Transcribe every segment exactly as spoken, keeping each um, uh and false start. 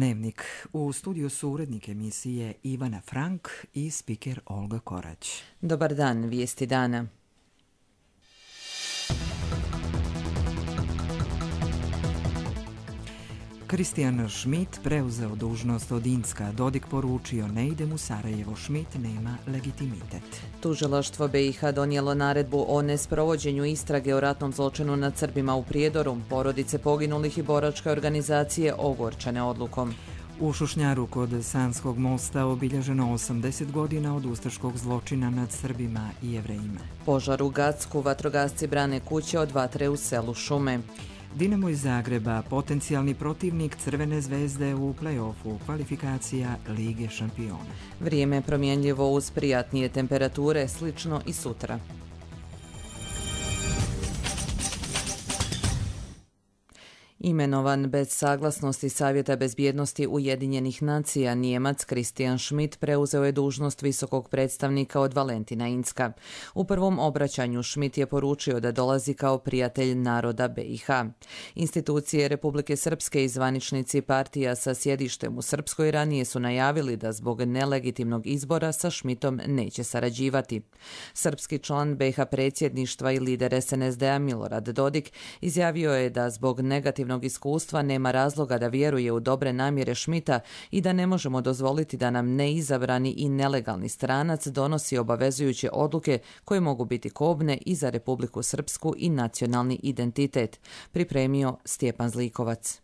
Dnevnik. U studiju su urednik emisije Ivana Frank i spiker Olga Korać. Dobar dan, vijesti dana. Christian Schmidt preuzeo dužnost od Incka. Dodik poručio: ne idem u Sarajevo, Schmidt nema legitimitet. Tužilaštvo B i H donijelo naredbu o nesprovođenju istrage o ratnom zločinu nad Srbima u Prijedoru. Porodice poginulih i boračke organizacije ogorčane odlukom. U Šušnjaru kod Sanskog mosta obilježeno osamdeset godina od ustaškog zločina nad Srbima i Jevrejima. Požar u Gacku, vatrogasci brane kuće od vatre u selu Šume. Dinamo iz Zagreba, potencijalni protivnik Crvene zvezde u play-offu kvalifikacija Lige šampiona. Vrijeme je promjenljivo uz prijatnije temperature, slično i sutra. Imenovan bez saglasnosti Savjeta bezbjednosti Ujedinjenih nacija, Nijemac Christian Schmidt preuzeo je dužnost visokog predstavnika od Valentina Incka. U prvom obraćanju Schmidt je poručio da dolazi kao prijatelj naroda B i H. Institucije Republike Srpske i zvaničnici partija sa sjedištem u Srpskoj ranije su najavili da zbog nelegitimnog izbora sa Schmidtom neće sarađivati. Srpski član B i H predsjedništva i lider S N S D-a Milorad Dodik izjavio je da zbog negativnog iskustva nema razloga da vjeruje u dobre namjere Schmidta i da ne možemo dozvoliti da nam neizabrani i nelegalni stranac donosi obavezujuće odluke koje mogu biti kobne i za Republiku Srpsku i nacionalni identitet, pripremio Stjepan Zlikovac.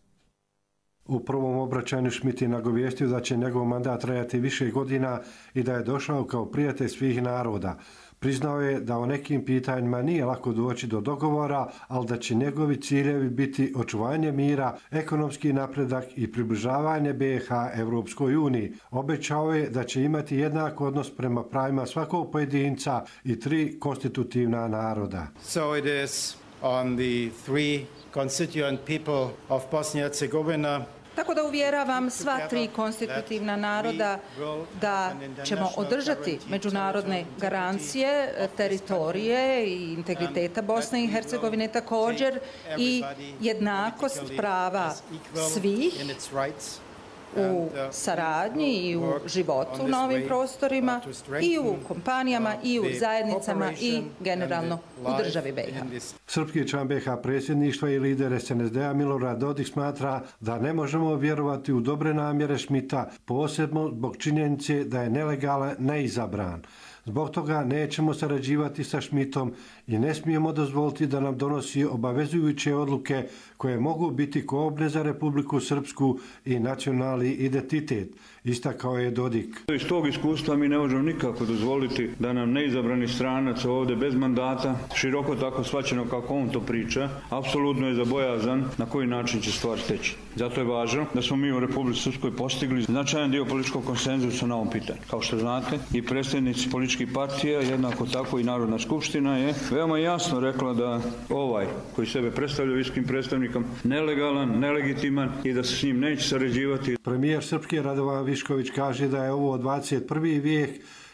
U prvom obraćanju Schmidt je nagovijestio da će njegov mandat trajati više godina i da je došao kao prijatelj svih naroda. Priznao je da o nekim pitanjima nije lako doći do dogovora, ali da će njegovi ciljevi biti očuvanje mira, ekonomski napredak i približavanje B i H Evropskoj uniji. Obećao je da će imati jednak odnos prema pravima svakog pojedinca i tri konstitutivna naroda. So it is on the three constituent people of Bosnia and Herzegovina. Tako da uvjeravam sva tri konstitutivna naroda da ćemo održati međunarodne garancije, teritorije i integriteta Bosne i Hercegovine također i jednakost prava svih u saradnji i u životu na ovim prostorima i u kompanijama i u zajednicama i generalno u državi B i H. Srpski član B i H predsjedništva i lider S N S D-a Milorad Dodik smatra da ne možemo vjerovati u dobre namjere Schmidta, posebno zbog činjenice da je nelegalan neizabran. Zbog toga nećemo sarađivati sa Schmidtom i ne smijemo dozvoliti da nam donosi obavezujuće odluke koje mogu biti kobne za Republiku Srpsku i nacionalni identitet, istakao je Dodik. Iz tog iskustva mi ne možemo nikako dozvoliti da nam neizabrani stranac ovdje bez mandata, široko tako shvaćeno kako on to priča, apsolutno je za bojazan na koji način će stvar teći. Zato je važno da smo mi u Republici Srpskoj postigli značajan dio političkog konsenzusa na ovom pitanju. Kao što znate, i predstavnici političkih partija, jednako tako i Narodna skupština je veoma jasno rekla da ovaj koji sebe predstavlja visokim predstavnikom nelegalan, nelegitiman i da se s njim neće sarađivati. Premijer Srpske Radovan Višković kaže da je ovo dvadeset prvi vijek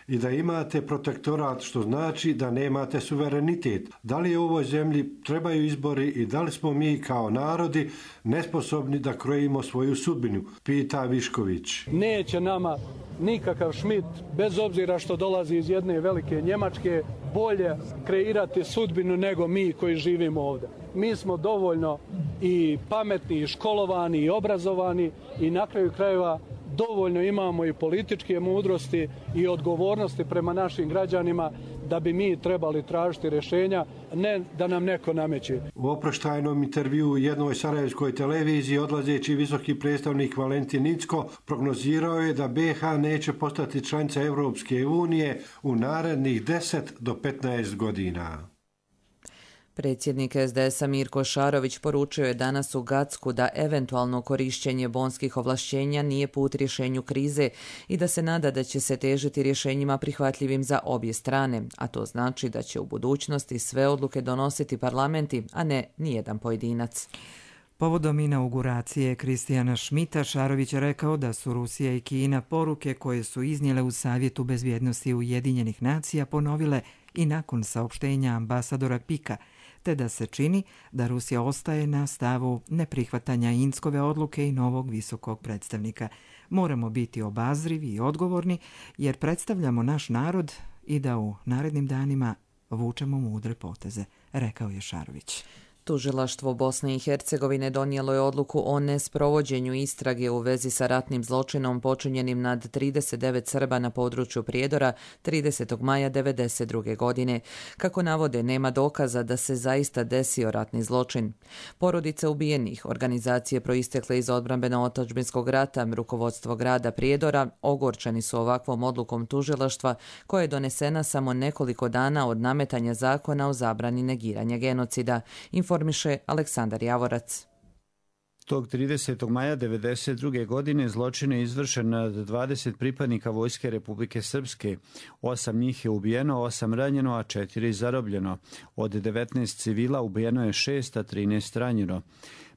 i da imate protektorat, što znači da nemate suverenitet. Da li u ovoj zemlji trebaju izbori i da li smo mi kao narodi nesposobni da krojimo svoju sudbinu, pita Višković. Neće nama nikakav Schmidt, bez obzira što dolazi iz jedne velike Njemačke, bolje kreirati sudbinu nego mi koji živimo ovdje. Mi smo dovoljno i pametni, i školovani, i obrazovani i na kraju krajeva dovoljno imamo i političke mudrosti i odgovornosti prema našim građanima da bi mi trebali tražiti rješenja, ne da nam neko nameće. U oproštajnom intervjuu u jednoj sarajevskoj televiziji odlazeći visoki predstavnik Valentin Incko prognozirao je da B i H neće postati članica Evropske unije u narednih deset do petnaest godina. Predsjednik S D S-a Mirko Šarović poručio je danas u Gacku da eventualno korištenje bonskih ovlašćenja nije put rješenju krize i da se nada da će se težiti rješenjima prihvatljivim za obje strane, a to znači da će u budućnosti sve odluke donositi parlamenti, a ne nijedan pojedinac. Povodom inauguracije Christiana Schmidta, Šarović je rekao da su Rusija i Kina poruke koje su iznijele u Savjetu bezbjednosti Ujedinjenih nacija ponovile i nakon saopštenja ambasadora Pika, te da se čini da Rusija ostaje na stavu neprihvatanja Inckove odluke i novog visokog predstavnika. Moramo biti obazrivi i odgovorni jer predstavljamo naš narod i da u narednim danima vučemo mudre poteze, rekao je Šarović. Tužilaštvo Bosne i Hercegovine donijelo je odluku o nesprovođenju istrage u vezi sa ratnim zločinom počinjenim nad trideset devet Srba na području Prijedora tridesetog maja devedeset druge. godine. Kako navode, nema dokaza da se zaista desio ratni zločin. Porodice ubijenih, organizacije proistekle iz odbrambeno-otadžbinskog rata, rukovodstvo grada Prijedora ogorčeni su ovakvom odlukom tužilaštva koja je donesena samo nekoliko dana od nametanja zakona o zabrani negiranja genocida, informiše Aleksandar Javorac. Tog tridesetog maja devedeset druge. godine zločin je izvršen nad dvadeset pripadnika Vojske Republike Srpske. Osam njih je ubijeno, osam ranjeno, a četiri zarobljeno. Od devetnaest civila ubijeno je šest, a trinaest ranjeno.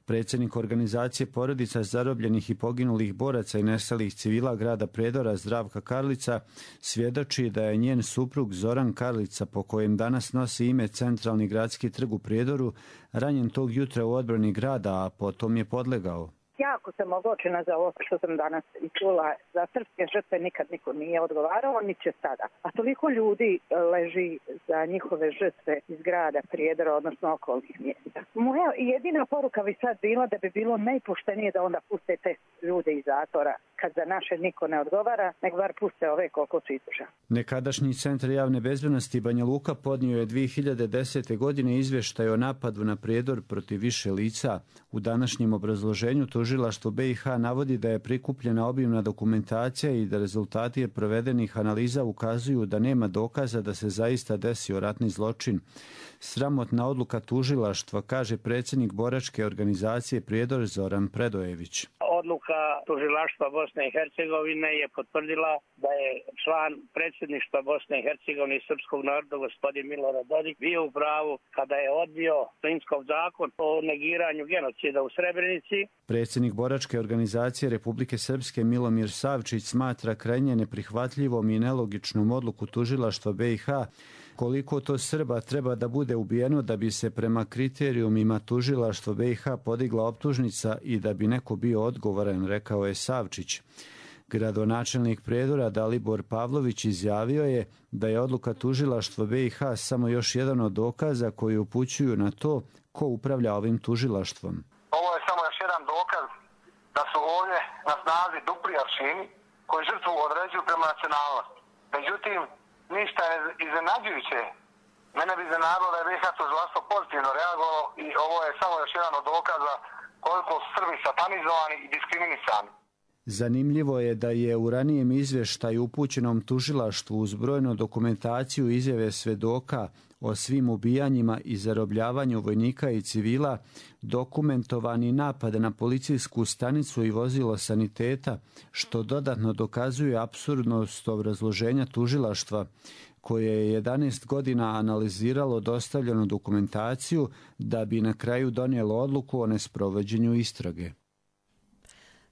Predsjednik organizacije porodica zarobljenih i poginulih boraca i nestalih civila grada Prijedora Zdravka Karlica svjedoči da je njen suprug Zoran Karlica, po kojem danas nosi ime Centralni gradski trg u Prijedoru, ranjen tog jutra u odbrani grada, a potom je podlegao. Jako sam ogorčena za ovo što sam danas i čula. Za srpske žrtve nikad niko nije odgovarao, ni će sada. A toliko ljudi leži za njihove žrtve iz grada Prijedora, odnosno okolnih mjesta. Moja jedina poruka bi sad bila da bi bilo najpoštenije da onda puste te ljude iz zatvora. Kad za naše niko ne odgovara, nek bar puste ove koliko su izdržali. Nekadašnji centar javne bezbednosti Banja Luka podnio je dvije hiljade desete. godine izvještaj o napadu na Prijedor protiv više lica. U današnjem obrazloženju tužilaštvo B i H navodi da je prikupljena obimna dokumentacija i da rezultati provedenih analiza ukazuju da nema dokaza da se zaista desio ratni zločin. Sramotna odluka tužilaštva, kaže predsjednik boračke organizacije Prijedor Zoran Predojević. Odluka tužilaštva Bosne i Hercegovine je potvrdila da je član predsjedništva Bosne i Hercegovine i srpskog naroda gospodin Milorad Dodik bio u pravu kada je odbio Inckov zakon o negiranju genocida u Srebrenici. Predsjednik boračke organizacije Republike Srpske Milomir Savčić smatra krajnje neprihvatljivom i nelogičnom odluku tužilaštva B i H koliko to Srba treba da bude ubijeno da bi se prema kriterijumima tužilaštva B i H podigla optužnica i da bi neko bio odgovoran, rekao je Savčić. Gradonačelnik Prijedora Dalibor Pavlović izjavio je da je odluka tužilaštva B i H samo još jedan od dokaza koji upućuju na to ko upravlja ovim tužilaštvom. Ovo je samo još jedan dokaz da su ovdje na snazi dupli aršini koji žrtvu određuju prema nacionalnosti. Međutim, ništa je iznenađujuće. Mene bi iznenadilo da je B i H tužilaštvo pozitivno reagovalo i ovo je samo još jedan od dokaza koliko su Srbi satanizovani i diskriminisani. Zanimljivo je da je u ranijem izvještaju upućenom tužilaštvu uz brojnu dokumentaciju izjave svedoka o svim ubijanjima i zarobljavanju vojnika i civila dokumentovani napad na policijsku stanicu i vozilo saniteta, što dodatno dokazuje apsurdnost obrazloženja tužilaštva, koje je jedanaest godina analiziralo dostavljenu dokumentaciju da bi na kraju donijelo odluku o nesprovođenju istrage.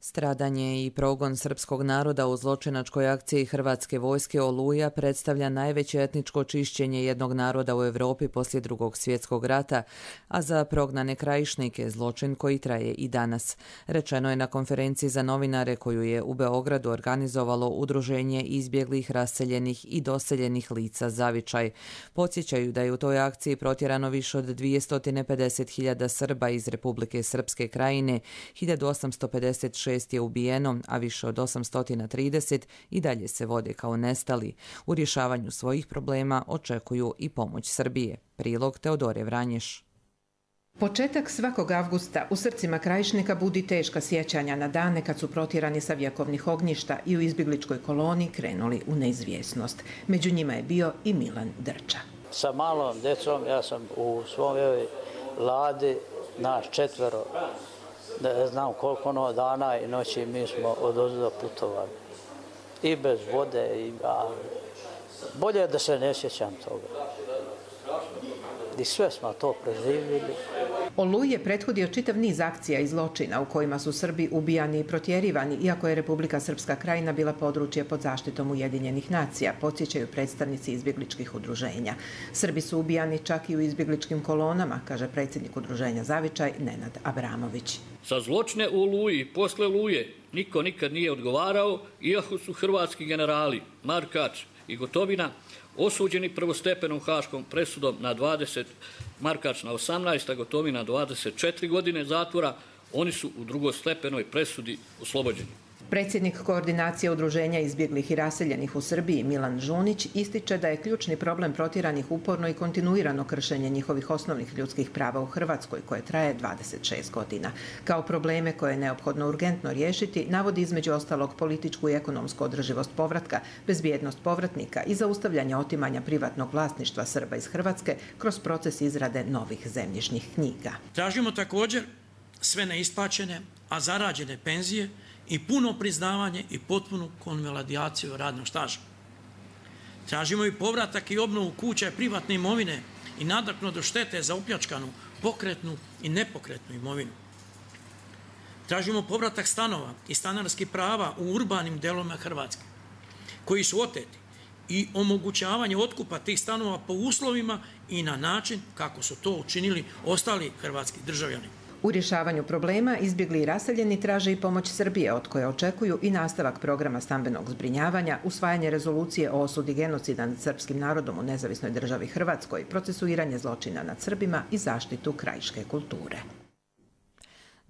Stradanje i progon srpskog naroda u zločinačkoj akciji Hrvatske vojske Oluja predstavlja najveće etničko čišćenje jednog naroda u Europi poslije Drugog svjetskog rata, a za prognane krajišnike zločin koji traje i danas. Rečeno je na konferenciji za novinare koju je u Beogradu organizovalo Udruženje izbjeglih, raseljenih i doseljenih lica Zavičaj. Podsjećaju da je u toj akciji protjerano više od dvjesto pedeset hiljada Srba iz Republike Srpske krajine, hiljadu osamsto pedeset šest je ubijeno, a više od osamsto trideset i dalje se vode kao nestali. U rješavanju svojih problema očekuju i pomoć Srbije. Prilog Teodore Vranješ. Početak svakog avgusta u srcima krajišnika budi teška sjećanja na dane kad su protjerani sa vjekovnih ognjišta i u izbjegličkoj koloni krenuli u neizvjesnost. Među njima je bio i Milan Drča. Sa malom djecom ja sam u svojoj ladi, naš četvero, ne znam koliko ono dana i noći mi smo odozdo putovali. I bez vode, i a, bolje da se ne sjećam toga. I sve smo to preživjeli. Oluji je prethodio čitav niz akcija i zločina u kojima su Srbi ubijani i protjerivani, iako je Republika Srpska Krajina bila područje pod zaštitom Ujedinjenih nacija, podsjećaju predstavnici izbjegličkih udruženja. Srbi su ubijani čak i u izbjegličkim kolonama, kaže predsjednik udruženja Zavičaj Nenad Abramović. Za zločine u Oluji i posle Oluje niko nikad nije odgovarao, iako su hrvatski generali Markač i Gotovina osuđeni prvostepenom haškom presudom na dvadeset, Markač na osamnaest, a Gotovina dvadeset četiri godine zatvora, oni su u drugostepenoj presudi oslobođeni. Predsjednik koordinacije udruženja izbjeglih i raseljenih u Srbiji Milan Žunić ističe da je ključni problem protjeranih uporno i kontinuirano kršenje njihovih osnovnih ljudskih prava u Hrvatskoj, koje traje dvadeset šest godina. Kao probleme koje je neophodno urgentno riješiti, navodi između ostalog političku i ekonomsku održivost povratka, bezbjednost povratnika i zaustavljanje otimanja privatnog vlasništva Srba iz Hrvatske kroz proces izrade novih zemljišnih knjiga. Tražimo također sve neisplaćene, a zarađene penzije i puno priznavanje i potpunu konvalidaciju radnog staža. Tražimo i povratak i obnovu kuća i privatne imovine i nadoknadu štete za opljačkanu pokretnu i nepokretnu imovinu. Tražimo povratak stanova i stanarskih prava u urbanim delovima Hrvatske, koji su oteti, i omogućavanje otkupa tih stanova po uslovima i na način kako su to učinili ostali hrvatski državljani. U rješavanju problema izbjegli i raseljeni traže i pomoć Srbije, od koje očekuju i nastavak programa stambenog zbrinjavanja, usvajanje rezolucije o osudi genocida nad srpskim narodom u nezavisnoj državi Hrvatskoj, procesuiranje zločina nad Srbima i zaštitu krajiške kulture.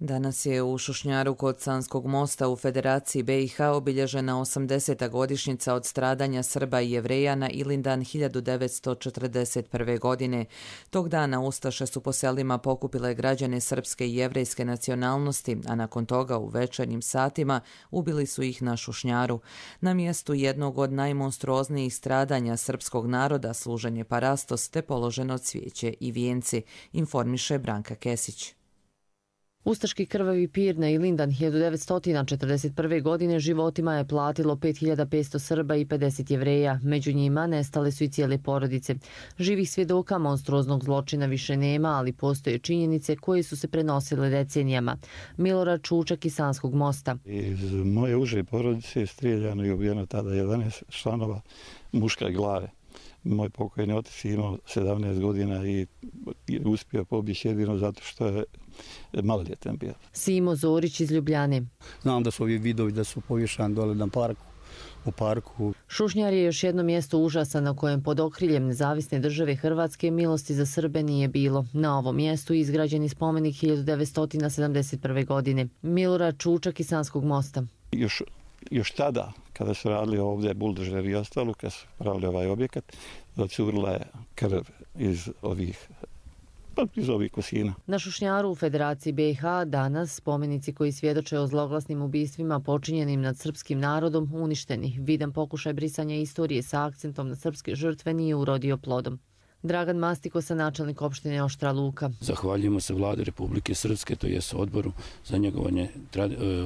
Danas je u Šušnjaru kod Sanskog mosta u Federaciji B i H obilježena osamdeseta godišnjica od stradanja Srba i Jevreja na Ilindan hiljadu devetsto četrdeset prve. godine. Tog dana ustaše su po selima pokupile građane srpske i jevrejske nacionalnosti, a nakon toga u večernjim satima ubili su ih na Šušnjaru. Na mjestu jednog od najmonstruoznijih stradanja srpskog naroda služen je parastos te položeno cvijeće i vijenci, informiše Branka Kesić. Ustaški krvavi pir na Ilindan hiljadu devetsto četrdeset prve. godine životima je platilo pet hiljada petsto Srba i pedeset Jevreja. Među njima nestale su i cijele porodice. Živih svjedoka monstruoznog zločina više nema, ali postoje činjenice koje su se prenosile decenijama. Milorad Čučak iz Sanskog mosta. Iz moje uže porodice je strijeljano i ubijeno tada jedanaest članova muške glave. Moj pokojni otac je imao sedamnaest godina i uspio pobjeći jedino zato što je maloljetan bio. Simo Zorić iz Ljubljane. Znam da su ovi vidovi da su povješani dole na parku, u parku. Šušnjar je još jedno mjesto užasa na kojem pod okriljem nezavisne države Hrvatske milosti za Srbe nije bilo. Na ovom mjestu izgrađeni spomenik hiljadu devetsto sedamdeset prve. godine. Milorad Čučak iz Sanskog mosta. Još Još tada, kada su radili ovdje buldožer i ostalo, kada su pravili ovaj objekat, docurila je krv iz ovih, iz ovih kosina. Na Šušnjaru u Federaciji B i H danas spomenici koji svjedoče o zloglasnim ubistvima počinjenim nad srpskim narodom uništeni. Vidan pokušaj brisanja istorije sa akcentom na srpske žrtve nije urodio plodom. Dragan Mastikosa, načelnik opštine Oštra Luka. Zahvaljujemo se vlade Republike Srpske, to jest odboru za njegovanje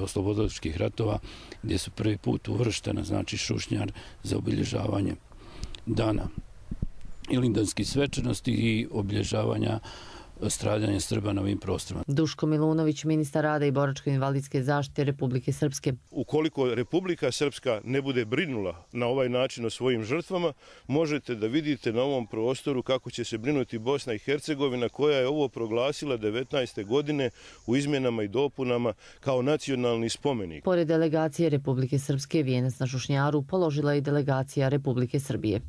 oslobodilačkih ratova, gdje su prvi put uvrštena, znači Šušnjar, za obilježavanje dana ilindanskih svečanosti i obilježavanja stradanja Srba na ovim prostorima. Duško Milunović, ministar rada i boračko-invalidske zaštite Republike Srpske. Ukoliko Republika Srpska ne bude brinula na ovaj način o svojim žrtvama, možete da vidite na ovom prostoru kako će se brinuti Bosna i Hercegovina, koja je ovo proglasila devetnaeste. godine u izmjenama i dopunama kao nacionalni spomenik. Pored delegacije Republike Srpske, vijenac na Šušnjaru položila i delegacija Republike Srbije.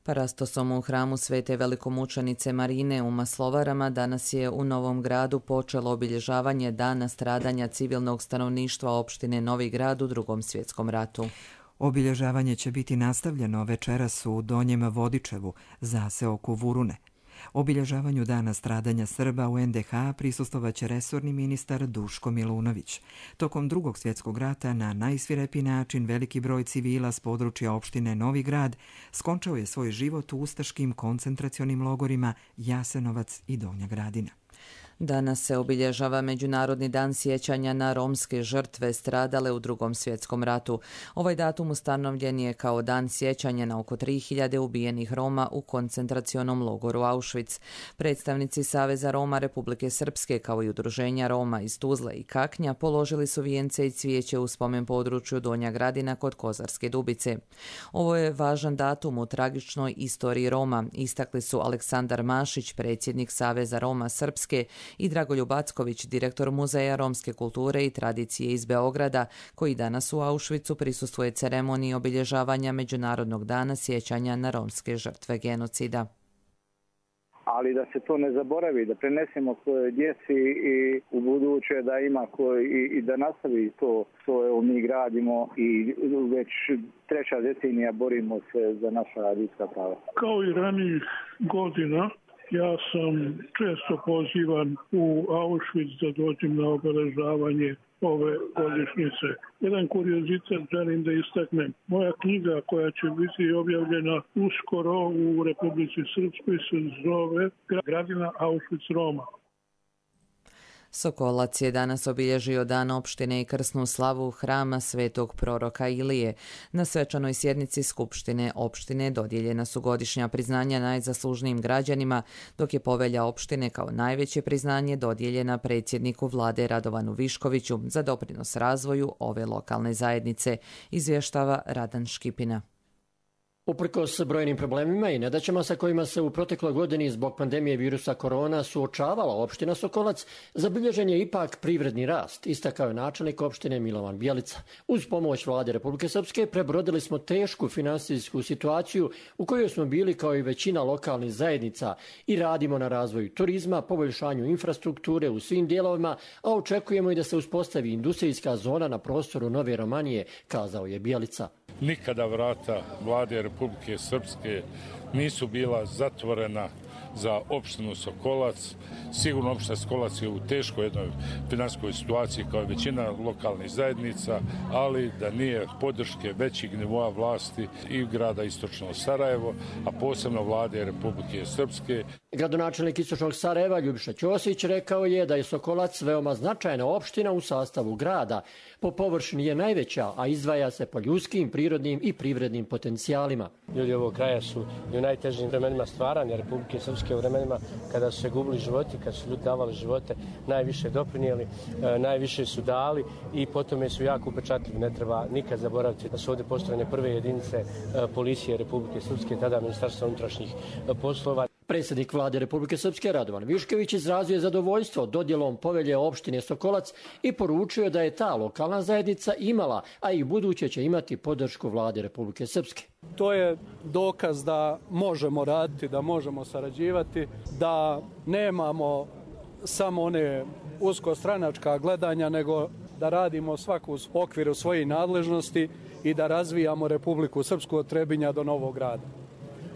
Parastosom u hramu Svete velikomučenice Marine u Maslovarama danas je u Novom Gradu počelo obilježavanje dana stradanja civilnog stanovništva opštine Novi Grad u Drugom svjetskom ratu. Obilježavanje će biti nastavljeno večeras u Donjem Vodičevu, zaseoku Vurune. Obilježavanju dana stradanja Srba u en de ha prisustvovaće resorni ministar Duško Milunović. Tokom Drugog svjetskog rata na najsvirepiji način veliki broj civila s područja opštine Novi Grad skončao je svoj život u ustaškim koncentracionim logorima Jasenovac i Donja Gradina. Danas se obilježava Međunarodni dan sjećanja na romske žrtve stradale u Drugom svjetskom ratu. Ovaj datum ustanovljen je kao dan sjećanja na oko tri hiljade ubijenih Roma u koncentracionom logoru Auschwitz. Predstavnici Saveza Roma Republike Srpske kao i udruženja Roma iz Tuzle i Kaknja položili su vijence i cvijeće u spomen području Donja Gradina kod Kozarske Dubice. Ovo je važan datum u tragičnoj istoriji Roma, istakli su Aleksandar Mašić, predsjednik Saveza Roma Srpske, i Dragoljub Acković, direktor Muzeja romske kulture i tradicije iz Beograda, koji danas u Auschwitzu prisustvuje ceremoniji obilježavanja Međunarodnog dana sjećanja na romske žrtve genocida. Ali da se to ne zaboravi, da prenesemo svojoj djeci i u buduće da ima koji i, i da nastavi to što evo mi gradimo i već treća decenija borimo se za naša ljudska prava. Kao i ranijih godina, ja sam često pozivan u Auschwitz da dođem na obeležavanje ove godišnjice. Jedan kuriozitet želim da istaknem. Moja knjiga koja će biti objavljena uskoro u Republici Srpskoj se zove Gradina Auschwitz-Roma. Sokolac je danas obilježio dan opštine i krsnu slavu hrama Svetog proroka Ilije. Na svečanoj sjednici Skupštine opštine dodijeljena su godišnja priznanja najzaslužnijim građanima, dok je povelja opštine kao najveće priznanje dodijeljena predsjedniku vlade Radovanu Viškoviću za doprinos razvoju ove lokalne zajednice, izvještava Radan Škipina. Uprkos brojnim problemima i nedaćama sa kojima se u protekloj godini zbog pandemije virusa korona suočavala opština Sokolac, zabilježen je ipak privredni rast, istakao je načelnik opštine Milovan Bjelica. Uz pomoć vlade Republike Srpske prebrodili smo tešku finansijsku situaciju u kojoj smo bili kao i većina lokalnih zajednica i radimo na razvoju turizma, poboljšanju infrastrukture u svim dijelovima, a očekujemo i da se uspostavi industrijska zona na prostoru Nove Romanije, kazao je Bjelica. Nikada vrata vlade Republike Srpske nisu bila zatvorena za opštinu Sokolac. Sigurno opština Sokolac je u teškoj jednoj finansijskoj situaciji kao i većina lokalnih zajednica, ali da nije podrške većih nivoa vlasti i grada Istočno Sarajevo, a posebno vlade Republike Srpske. Gradonačelnik Istočnog Sarajeva Ljubiša Ćosić rekao je da je Sokolac veoma značajna opština u sastavu grada. Po površini je najveća, a izdvaja se po ljudskim, prirodnim i privrednim potencijalima. Ljudi ovog kraja su i u najtežim vremenima stvaranja Republike Srpske, u vremenima kada su se gubili životi, kada su ljudi davali živote, najviše doprinijeli, najviše su dali i potom su jako upečatljivi. Ne treba nikad zaboraviti da su ovdje postrojene prve jedinice policije Republike Srpske, tada Ministarstva unutrašnjih poslova. Predsjednik vlade Republike Srpske Radovan Višković izrazio je zadovoljstvo dodjelom povelje opštine Sokolac i poručio da je ta lokalna zajednica imala, a i buduće će imati podršku vlade Republike Srpske. To je dokaz da možemo raditi, da možemo sarađivati, da nemamo samo one uskostranačka gledanja, nego da radimo svaku u okviru svojih nadležnosti i da razvijamo Republiku Srpsku od Trebinja do Novog Grada.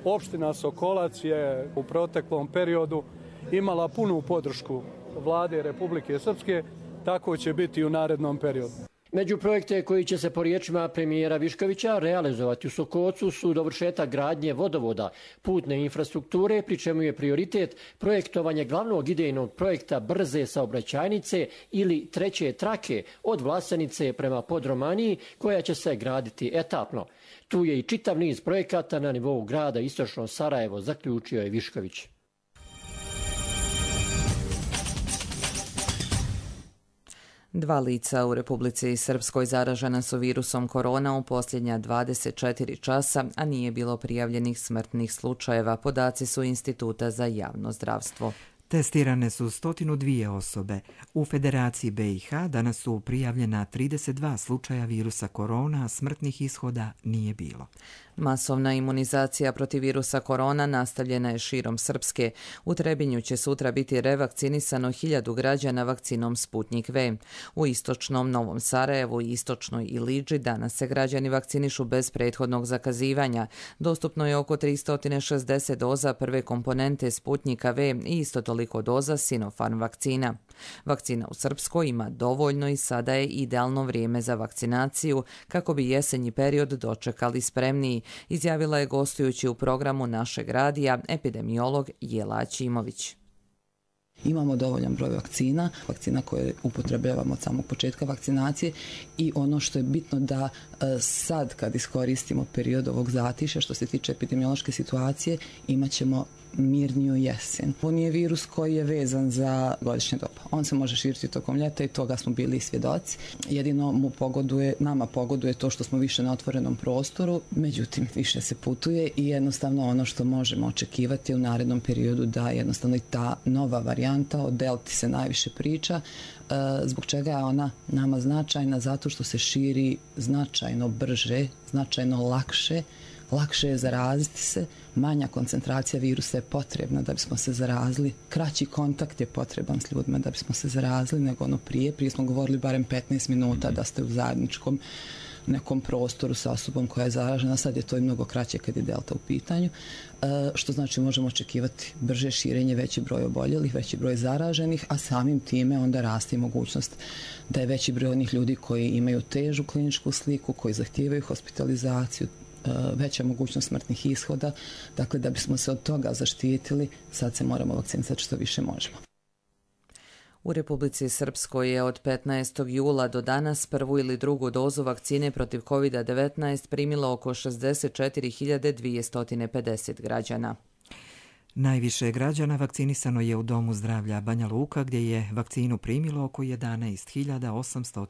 Opština Sokolac je u proteklom periodu imala punu podršku vlade Republike Srpske, tako će biti i u narednom periodu. Među projekte koji će se po riječima premijera Viškovića realizovati u Sokolcu su dovršetak gradnje vodovoda, putne infrastrukture, pri čemu je prioritet projektovanje glavnog idejnog projekta brze saobraćajnice ili treće trake od Vlasenice prema Podromaniji, koja će se graditi etapno. Tu je i čitav niz projekata na nivou grada Istočno Sarajevo, zaključio je Višković. Dva lica u Republici Srpskoj zaražena su virusom korona u posljednja dvadeset četiri časa, a nije bilo prijavljenih smrtnih slučajeva, podaci su Instituta za javno zdravstvo. Testirane su sto dvije osobe. U Federaciji B i H danas su prijavljena trideset dva slučaja virusa korona, a smrtnih ishoda nije bilo. Masovna imunizacija protiv virusa korona nastavljena je širom Srpske. U Trebinju će sutra biti revakcinisano hiljadu građana vakcinom Sputnjik V. U istočnom Novom Sarajevu i istočnoj Ilidži danas se građani vakcinišu bez prethodnog zakazivanja. Dostupno je oko tristo šezdeset doza prve komponente Sputnjika V i isto toliko doza Sinopharm vakcina. Vakcina u Srpskoj ima dovoljno i sada je idealno vrijeme za vakcinaciju kako bi jesenji period dočekali spremniji, izjavila je gostujući u programu našeg radija epidemiolog Jela Ćimović. Imamo dovoljan broj vakcina, vakcina koje upotrebljavamo od samog početka vakcinacije i ono što je bitno da sad kad iskoristimo period ovog zatišja što se tiče epidemiološke situacije imat ćemo mirniju jesen. Ovo nije virus koji je vezan za godišnje doba. On se može širiti tokom ljeta i toga smo bili svjedoci. Jedino mu pogoduje, nama pogoduje to što smo više na otvorenom prostoru, međutim više se putuje i jednostavno ono što možemo očekivati u narednom periodu da jednostavno i ta nova varijanta o delti se najviše priča. Zbog čega je ona nama značajna? Zato što se širi značajno brže, značajno lakše, lakše je zaraziti se, manja koncentracija virusa je potrebna da bismo se zarazili, kraći kontakt je potreban s ljudima da bismo se zarazili nego ono prije. Prije smo govorili barem petnaest minuta da ste u zajedničkom nekom prostoru sa osobom koja je zaražena, sad je to i mnogo kraće kad je delta u pitanju, što znači možemo očekivati brže širenje, veći broj oboljelih, veći broj zaraženih, a samim time onda raste i mogućnost da je veći broj onih ljudi koji imaju težu kliničku sliku, koji zahtijevaju hospitalizaciju, veća mogućnost smrtnih ishoda. Dakle, da bismo se od toga zaštitili, sad se moramo vakcinisati što više možemo. U Republici Srpskoj je od petnaestog jula do danas prvu ili drugu dozu vakcine protiv kovid devetnaest primilo oko šezdeset četiri hiljade dvjesto pedeset građana. Najviše građana vakcinisano je u Domu zdravlja Banja Luka, gdje je vakcinu primilo oko jedanaest hiljada osamsto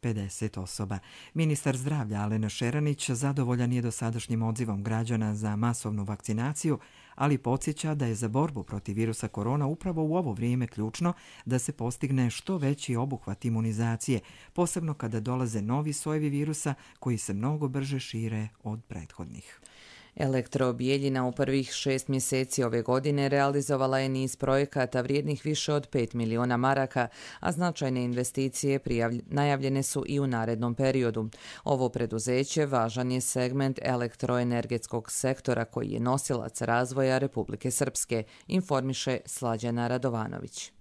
pedeset osoba. Ministar zdravlja Alena Šeranić zadovoljan je dosadašnjim odzivom građana za masovnu vakcinaciju, ali podsjeća da je za borbu protiv virusa korona upravo u ovo vrijeme ključno da se postigne što veći obuhvat imunizacije, posebno kada dolaze novi sojevi virusa koji se mnogo brže šire od prethodnih. Elektrobijeljina u prvih šest mjeseci ove godine realizovala je niz projekata vrijednih više od pet miliona maraka, a značajne investicije prijavlj... najavljene su i u narednom periodu. Ovo preduzeće važan je segment elektroenergetskog sektora koji je nosilac razvoja Republike Srpske, informiše Slađana Radovanović.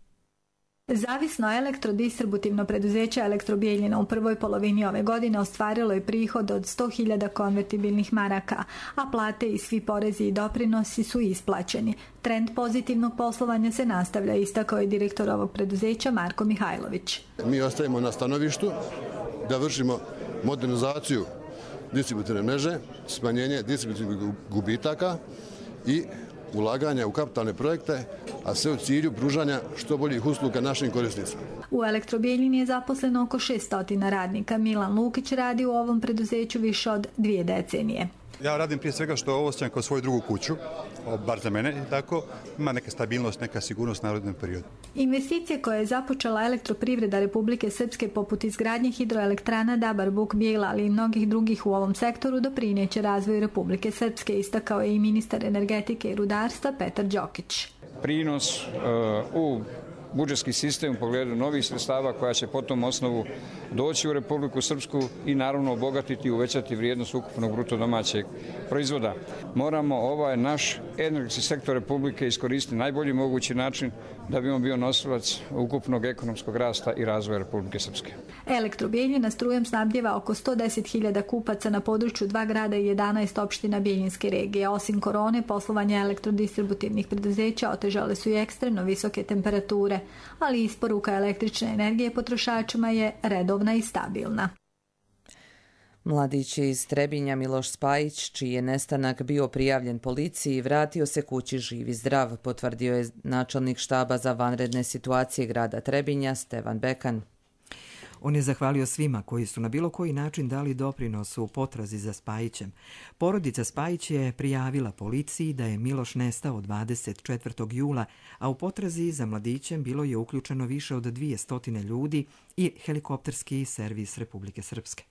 Zavisno elektrodistributivno preduzeće Elektrobijeljina u prvoj polovini ove godine ostvarilo je prihod od sto hiljada konvertibilnih maraka, a plate i svi porezi i doprinosi su isplaćeni. Trend pozitivnog poslovanja se nastavlja, istakao je direktor ovog preduzeća Marko Mihajlović. Mi ostajemo na stanovištu da vršimo modernizaciju distributivne mreže, smanjenje distributivnih gubitaka i ulaganja u kapitalne projekte, a sve u cilju pružanja što boljih usluga našim korisnicima. U Elektrobijeljini je zaposleno oko šesto radnika. Milan Lukić radi u ovom preduzeću više od dvije decenije. Ja radim prije svega što ovo osjećam kao svoju drugu kuću, bar za mene i tako, ima neka stabilnost, neka sigurnost u narednom periodu. Investicije koje je započela Elektroprivreda Republike Srpske poput izgradnje hidroelektrana Dabar, Buk, Bijela, ali i mnogih drugih u ovom sektoru doprineće razvoju Republike Srpske, istakao je i ministar energetike i rudarstva Petar Đokić. Prinos uh, u budžetski sistem u pogledu novih sredstava koja će po tom osnovu doći u Republiku Srpsku i naravno obogatiti i uvećati vrijednost ukupnog bruto domaćeg proizvoda. Moramo ovaj naš energetski sektor Republike iskoristiti najbolji mogući način da bi on bio nosilac ukupnog ekonomskog rasta i razvoja Republike Srpske. Elektrobijeljina strujom snabdjeva oko sto deset hiljada kupaca na području dva grada i jedanaest opština Bijeljinske regije. Osim korone, poslovanje elektrodistributivnih preduzeća otežale su i ekstremno visoke temperature, ali isporuka električne energije potrošačima je redovna i stabilna. Mladić iz Trebinja Miloš Spajić, čiji je nestanak bio prijavljen policiji, vratio se kući živ i zdrav, potvrdio je načelnik štaba za vanredne situacije grada Trebinja Stevan Bekan. On je zahvalio svima koji su na bilo koji način dali doprinos u potrazi za Spajićem. Porodica Spajić je prijavila policiji da je Miloš nestao dvadeset četvrtog jula, a u potrazi za mladićem bilo je uključeno više od dvjesto ljudi i helikopterski servis Republike Srpske.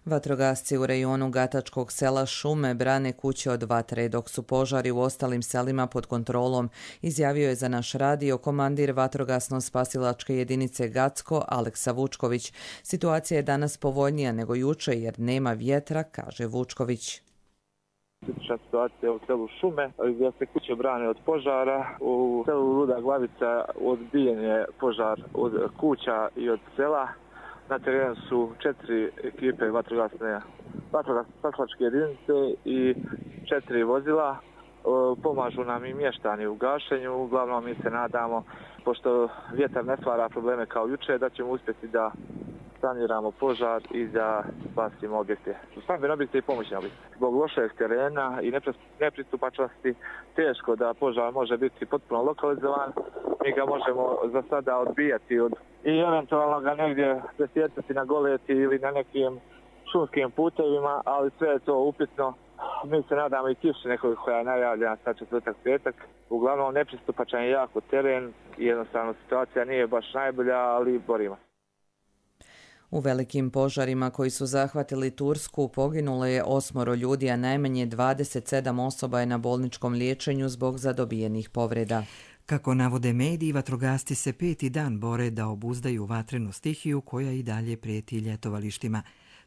Vatrogasci u rejonu Gatačkog sela Šume brane kuće od vatre, dok su požari u ostalim selima pod kontrolom, izjavio je za naš radio komandir vatrogasno-spasilačke jedinice Gacko Aleksa Vučković. Situacija je danas povoljnija nego juče jer nema vjetra, kaže Vučković. Kritična situacija u selu Šume, gdje se kuće brane od požara. U selu Luda Glavica odbijen je požar od kuća i od sela. Na terenu su četiri ekipe vatrogasne, vatrogasne jedinice i četiri vozila. pomažu nam i mještani u gašenju. Uglavnom mi se nadamo, pošto vjetar ne stvara probleme kao juče, da ćemo uspjeti da saniramo požar i da spasimo objekte. Stambene objekte i pomoćne objekte. Zbog lošeg terena i nepristupačnosti teško da požar može biti potpuno lokalizovan. Mi ga možemo za sada odbijati od, i eventualno ga negdje presjecati na goleti ili na nekim šumskim putevima, ali sve je to upitno. Mi se nadamo i kiši nekog koja je najavljena sa četvrtak petak. Uglavnom nepristupačan je jako teren i jednostavno situacija nije baš najbolja, ali borimo. U velikim požarima koji su zahvatili Tursku poginulo je osmoro ljudi, a najmanje dvadeset sedam osoba je na bolničkom liječenju zbog zadobijenih povreda. Kako navode mediji, vatrogasci se peti dan bore da obuzdaju vatrenu stihiju koja i dalje prijeti ljetovalištima.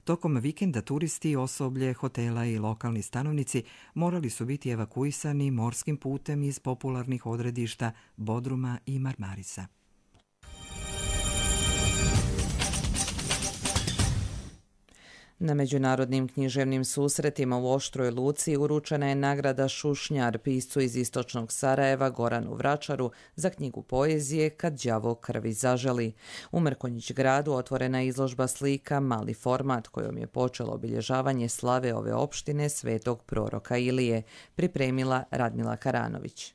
Tokom vikenda turisti, osoblje, hotela i lokalni stanovnici morali su biti evakuisani morskim putem iz popularnih odredišta Bodruma i Marmarisa. Na međunarodnim književnim susretima u Oštroj Luci uručena je nagrada Šušnjar piscu iz istočnog Sarajeva Goranu Vračaru za knjigu poezije Kad đavo krvi zaželi. U Mrkonjić gradu otvorena je izložba slika Mali format kojom je počelo obilježavanje slave ove opštine svetog proroka Ilije, pripremila Radmila Karanović.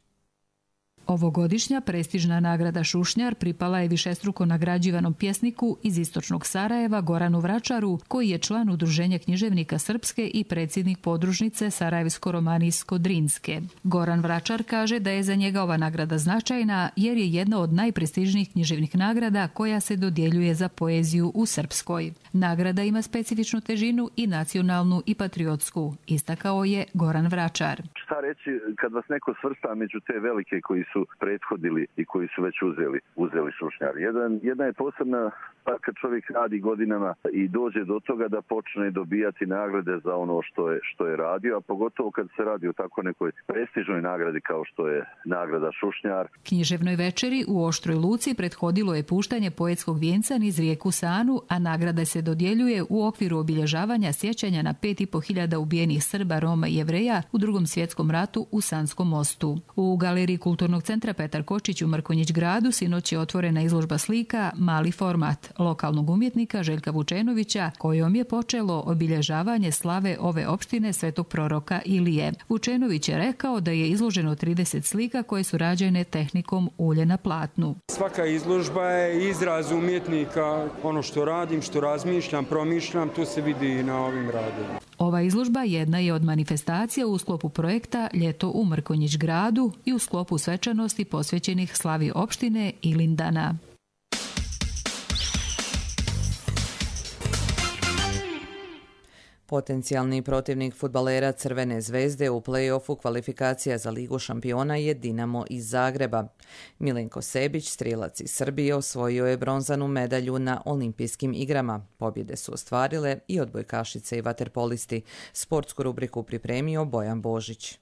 Ovogodišnja prestižna nagrada Šušnjar pripala je višestruko nagrađivanom pjesniku iz istočnog Sarajeva Goranu Vračaru, koji je član Udruženja književnika Srpske i predsjednik podružnice Sarajevsko-Romanijsko-Drinske. Goran Vračar kaže da je za njega ova nagrada značajna jer je jedna od najprestižnijih književnih nagrada koja se dodjeljuje za poeziju u Srpskoj. Nagrada ima specifičnu težinu i nacionalnu i patriotsku, istakao je Goran Vračar. Šta reći kad vas neko svrsta među te velike koji su prethodili i koji su već uzeli, uzeli Šušnjar. Jedan, jedna je posebna pa kad čovjek radi godinama i dođe do toga da počne dobijati nagrade za ono što je, što je radio, a pogotovo kad se radi o tako nekoj prestižnoj nagradi kao što je nagrada Šušnjar. Književnoj večeri u Oštroj Luci prethodilo je puštanje poetskog vijenca niz rijeku Sanu, a nagrada se dodjeljuje u okviru obilježavanja sjećanja na pet i po hiljada ubijenih Srba, Roma i Jevreja u Drugom svjetskom ratu u Sanskom mostu. U galeriji Kulturnog centra Petar Kočić u Mrkonjić gradu sinoć je otvorena izložba slika Mali format lokalnog umjetnika Željka Vučenovića, kojom je počelo obilježavanje slave ove opštine svetog proroka Ilije. Vučenović je rekao da je izloženo trideset slika koje su rađene tehnikom ulje na platnu. Svaka izložba je izraz umjetnika, ono što radim, što razmišljam, promišljam, to se vidi i na ovim radovima. Ova izložba jedna je od manifestacija u sklopu projekta Ljeto u Mrkonjić gradu i u sklopu svečanosti posvećenih slavi opštine Ilindana. Potencijalni protivnik fudbalera Crvene zvezde u play-offu kvalifikacija za Ligu šampiona je Dinamo iz Zagreba. Milenko Sebić, strijelac iz Srbije, osvojio je bronzanu medalju na olimpijskim igrama. Pobjede su ostvarile i odbojkašice i vaterpolisti. Sportsku rubriku pripremio Bojan Božić.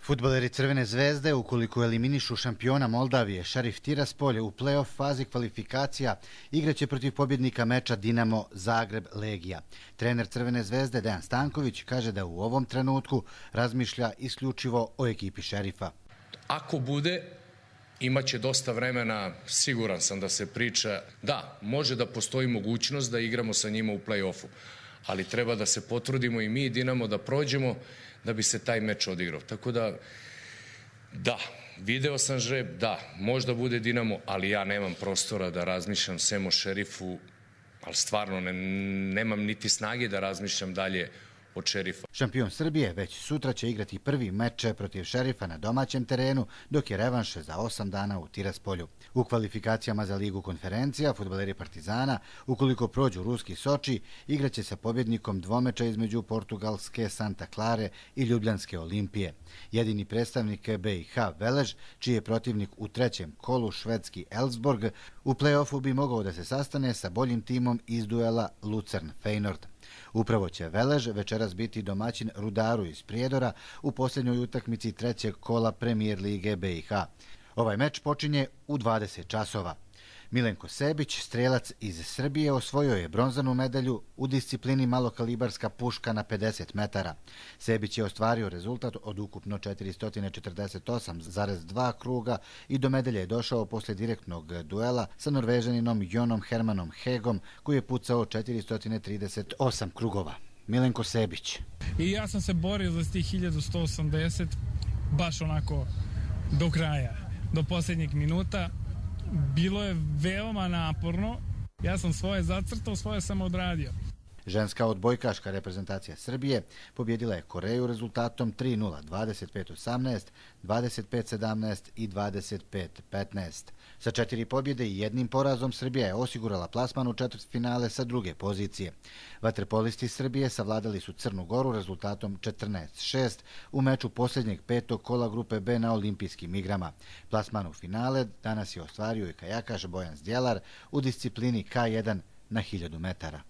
Fudbaleri Crvene zvezde, ukoliko eliminišu šampiona Moldavije Šarif Tiraspolje u play-off fazi kvalifikacija, igraće protiv pobjednika meča Dinamo Zagreb-Legija. Trener Crvene zvezde Dejan Stanković kaže da u ovom trenutku razmišlja isključivo o ekipi Šerifa. Ako bude, imaće dosta vremena, siguran sam da se priča, da, može da postoji mogućnost da igramo sa njima u play-offu, ali treba da se potrudimo i mi i Dinamo da prođemo da bi se taj meč odigrao. Tako da, da, video sam žreb, da, možda bude Dinamo, ali ja nemam prostora da razmišljam sem o Šerifu, ali stvarno ne, nemam niti snage da razmišljam dalje od Šerifa. Šampion Srbije već sutra će igrati prvi meč protiv Šerifa na domaćem terenu, dok je revanš za osam dana u Tiraspolju. U kvalifikacijama za Ligu konferencija fudbaleri Partizana, ukoliko prođu ruski Soči, igraće sa pobjednikom dvomeča između portugalske Santa Clare i ljubljanske Olimpije. Jedini predstavnik B i H Velež, čiji je protivnik u trećem kolu švedski Elfsborg, u play-offu bi mogao da se sastane sa boljim timom iz duela Lucern-Feyenoord. Upravo će Velež večeras biti domaćin Rudaru iz Prijedora u posljednjoj utakmici trećeg kola Premier lige B i H. Ovaj meč počinje u dvadeset časova. Milenko Sebić, strelac iz Srbije, osvojio je bronzanu medalju u disciplini malokalibarska puška na pedeset metara. Sebić je ostvario rezultat od ukupno četiristo četrdeset osam zarez dva kruga i do medalje je došao posle direktnog duela sa Norvežaninom Jonom Hermanom Hegom, koji je pucao četiristo trideset osam krugova. Milenko Sebić. I ja sam se borio za tih hiljadu sto osamdeset baš onako do kraja, do posljednjeg minuta. Bilo je veoma naporno. Ja sam svoje zacrtao, svoje sam odradio. Ženska odbojkaška reprezentacija Srbije pobjedila je Koreju rezultatom tri nula, dvadeset pet osamnaest, dvadeset pet sedamnaest i dvadeset pet petnaest. Sa četiri pobjede i jednim porazom Srbija je osigurala plasman u četvrtfinale sa druge pozicije. Vaterpolisti Srbije savladali su Crnu Goru rezultatom četrnaest šest u meču posljednjeg petog kola grupe B na olimpijskim igrama. Plasman u finale danas je ostvario i kajakaš Bojan Zdjelar u disciplini K jedan na hiljadu metara.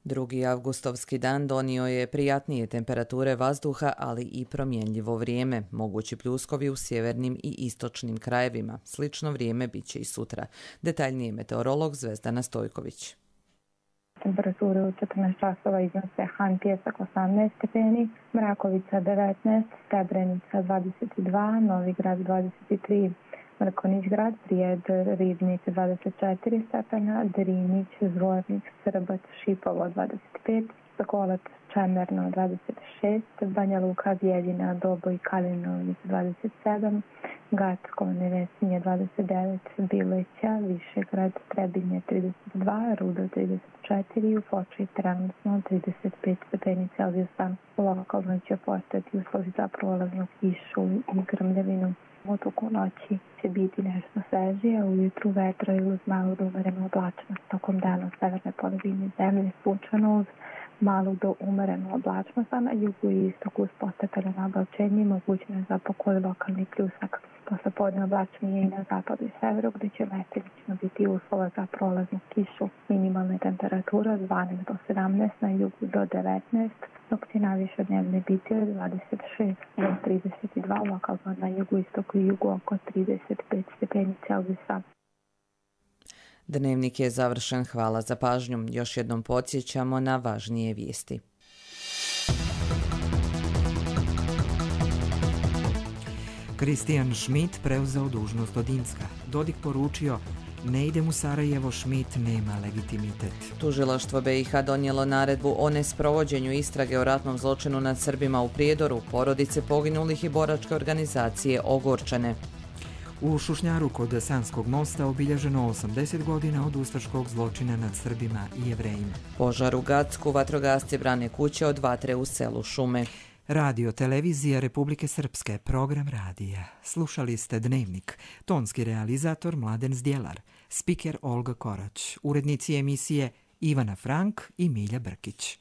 Drugi avgustovski dan donio je prijatnije temperature vazduha, ali i promjenljivo vrijeme, mogući pljuskovi u sjevernim i istočnim krajevima. Slično vrijeme bit će i sutra. Detaljnije meteorolog Zvezdana Stojković. Temperature u četrnaest časova iznose Han Pjesak osamnaest stepeni, Mrakovica devetnaest, Srebrenica dvadeset dva, Novi Grad dvadeset tri, Mrkonić grad, Prijed, Ribnić dvadeset četiri stepena, Drinić, Zvornik, Srbac, Šipovo dvadeset pet, Sokolac, Čemerno dvadeset šest, Banja Luka, Bijeljina, Doboj, Kalinović dvadeset sedam, Gacko, Nevesinje dvadeset devet, Bileća, Višegrad, Trebinje trideset dva, Rudo trideset četiri, u Foči trenutno trideset pet stepeni Celzijusa. Lokalno će postati uslovi za prolaznu kišu i grmljavinu. U toku noći će biti nešto svežije, ujutru vetro i uz malu do umerenu oblačnost. Tokom dana u severnoj polovini zemlje sunčano uz malu do umerenu oblačnost, a na jugu i istoku uz postepeno nabavčenje mogućno je za pokoju lokalni pljusak. Posle podne oblačnije i na zapadu i severu, gdje će mestimično biti uslova za prolaznu kišu. Minimalne temperature od dvanaest do sedamnaest, na jugu do devetnaest, dok će najviše dnevne biti od dvadeset šest do trideset dva, lokalno na jugu, istoku i jugu oko trideset pet stepeni Celzijusa. Dnevnik je završen. Hvala za pažnju. Još jednom podsjećamo na važnije vijesti. Kristijan Schmidt preuzeo dužnost od Incka. Dodik poručio: ne idem u Sarajevo, Schmidt nema legitimitet. Tužilaštvo B i H donijelo naredbu o nesprovođenju istrage o ratnom zločinu nad Srbima u Prijedoru, porodice poginulih i boračke organizacije ogorčene. U Šušnjaru kod Sanskog mosta obilježeno osamdeset godina od ustaškog zločina nad Srbima i Jevrejima. Požar u Gacku, vatrogasci brane kuće od vatre u selu Šume. Radio televizija Republike Srpske, program radija. Slušali ste Dnevnik, tonski realizator Mladen Zdjelar, spiker Olga Korać, urednici emisije Ivana Frank i Milja Brkić.